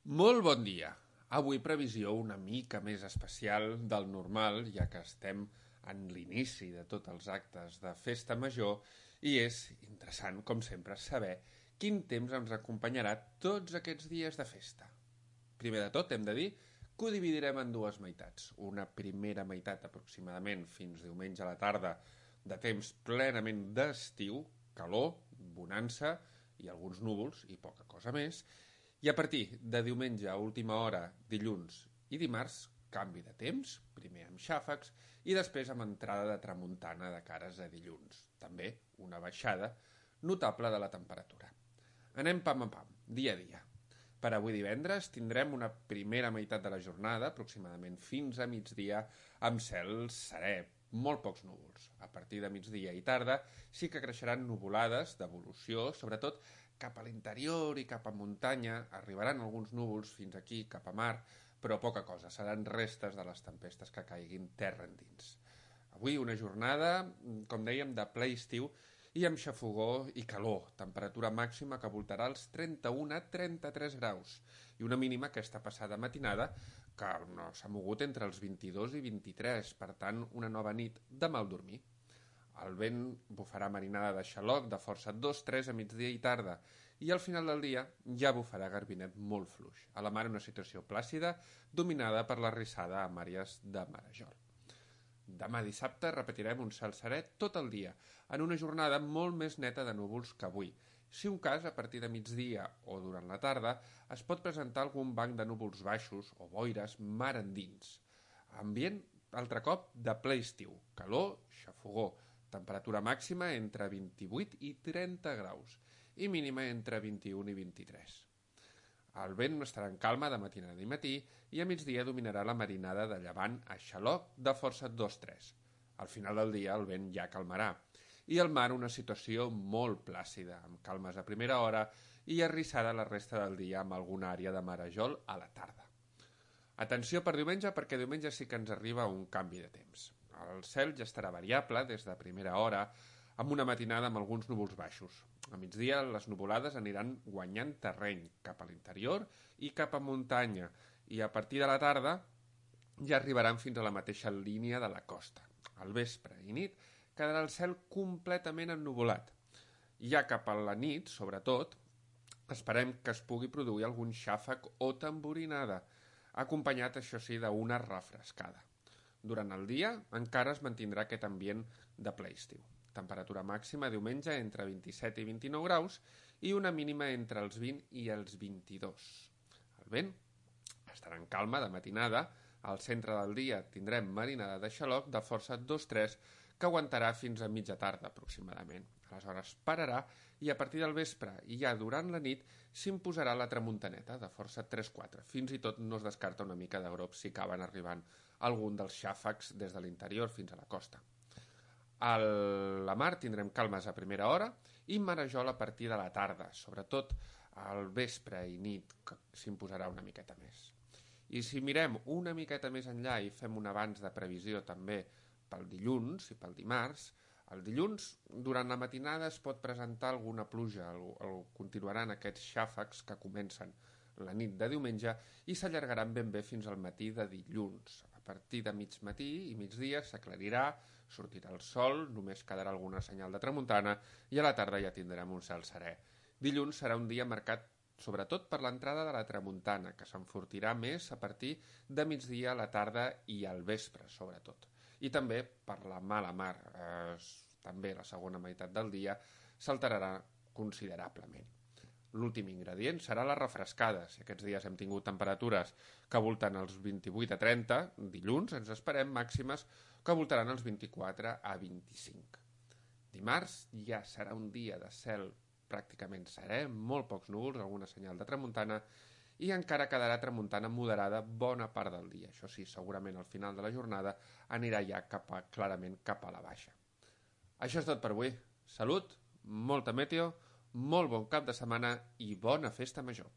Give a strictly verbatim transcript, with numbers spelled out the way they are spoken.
Molt bon dia. Avui previsió una mica més especial del normal, ja que estem en l'inici de tots els actes de festa major i és interessant, com sempre, saber quin temps ens acompanyarà tots aquests dies de festa. Primer de tot, hem de dir que ho dividirem en dues meitats. Una primera meitat, aproximadament fins diumenge a la tarda, de temps plenament d'estiu, calor, bonança i alguns núvols i poca cosa més. I a partir de diumenge a última hora, dilluns i dimarts, canvi de temps, primer amb xàfecs i després amb entrada de tramuntana de cares a dilluns. També una baixada notable de la temperatura. Anem pam a pam, dia a dia. Per avui divendres tindrem una primera meitat de la jornada, aproximadament fins a migdia, amb cel serè, molt pocs núvols. A partir de migdia i tarda sí que creixeran nuvolades d'evolució, sobretot cap a l'interior i cap a muntanya. Arribaran alguns núvols fins aquí, cap a mar, però poca cosa. Seran restes de les tempestes que caiguin terra endins. Avui una jornada, com dèiem, de ple estiu i amb xafogor i calor. Temperatura màxima que voltarà els trenta-un a trenta-tres graus i una mínima aquesta passada matinada que no s'ha mogut entre els vint-i-dos i vint-i-tres, per tant una nova nit de mal dormir. El vent bufarà marinada de xaloc de força dos tres a migdia i tarda i al final del dia ja bufarà garbinet molt fluix. A la mar una situació plàcida dominada per la rissada a màries de Marajol. Demà dissabte repetirem un cel serè tot el dia, en una jornada molt més neta de núvols que avui. Si un cas, a partir de migdia o durant la tarda, es pot presentar algun banc de núvols baixos o boires mar endins. Ambient, altre cop, de ple estiu, calor, xafogor, temperatura màxima entre vint-i-vuit i trenta graus i mínima entre vint-i-un i vint-i-tres. El vent estarà en calma de matinada i matí i a migdia dominarà la marinada de llevant a xaloc de força dos tres. Al final del dia el vent ja calmarà i al mar una situació molt plàcida, amb calmes a primera hora i arrissada la resta del dia amb alguna àrea de Marajol a la tarda. Atenció per diumenge, perquè diumenge sí que ens arriba un canvi de temps. El cel ja estarà variable des de primera hora, amb una matinada amb alguns núvols baixos. A migdia les nuvolades aniran guanyant terreny cap a l'interior i cap a muntanya, i a partir de la tarda ja arribaran fins a la mateixa línia de la costa. Al vespre i nit quedarà el cel completament ennuvolat. Ja cap a la nit, sobretot, esperem que es pugui produir algun xàfec o tamborinada, acompanyat, això sí, d'una refrescada. Durant el dia encara es mantindrà aquest ambient de ple estiu. Temperatura màxima diumenge entre vint-i-set i vint-i-nou graus i una mínima entre els vint i els vint-i-dos. El vent estarà en calma de matinada. Al centre del dia tindrem marinada de xaloc de força dos tres que aguantarà fins a mitja tarda aproximadament. Aleshores pararà i a partir del vespre i ja durant la nit s'imposarà la tramuntaneta de força tres quatre. Fins i tot no es descarta una mica de grop si acaben arribant algun dels xàfecs des de l'interior fins a la costa. A la mar tindrem calmes a primera hora i Marajol a partir de la tarda, sobretot al vespre i nit, que s'imposarà una miqueta més. I si mirem una miqueta més enllà i fem un abans de previsió també pel dilluns i pel dimarts, el dilluns, durant la matinada es pot presentar alguna pluja, el, el, continuaran aquests xàfecs que comencen la nit de diumenge i s'allargaran ben bé fins al matí de dilluns. A partir de mig matí i migdia s'aclarirà, sortirà el sol, només quedarà alguna senyal de tramuntana i a la tarda ja tindrem un cel serè. Dilluns serà un dia marcat sobretot per l'entrada de la tramuntana, que s'enfortirà més a partir de migdia a la tarda i al vespre, sobretot. I també per la mala mar, eh, també la segona meitat del dia s'alterarà considerablement. L'últim ingredient serà la refrescada. Si aquests dies hem tingut temperatures que volten els vint-i-vuit a trenta, dilluns ens esperem màximes que voltaran els vint-i-quatre a vint-i-cinc. Dimarts ja serà un dia de cel pràcticament serè, molt pocs núvols, alguna senyal de tramuntana, i encara quedarà tramuntana moderada bona part del dia. Això sí, segurament al final de la jornada anirà ja cap a, clarament cap a la baixa. Això és tot per avui. Salut, molta meteo, molt bon cap de setmana i bona festa major.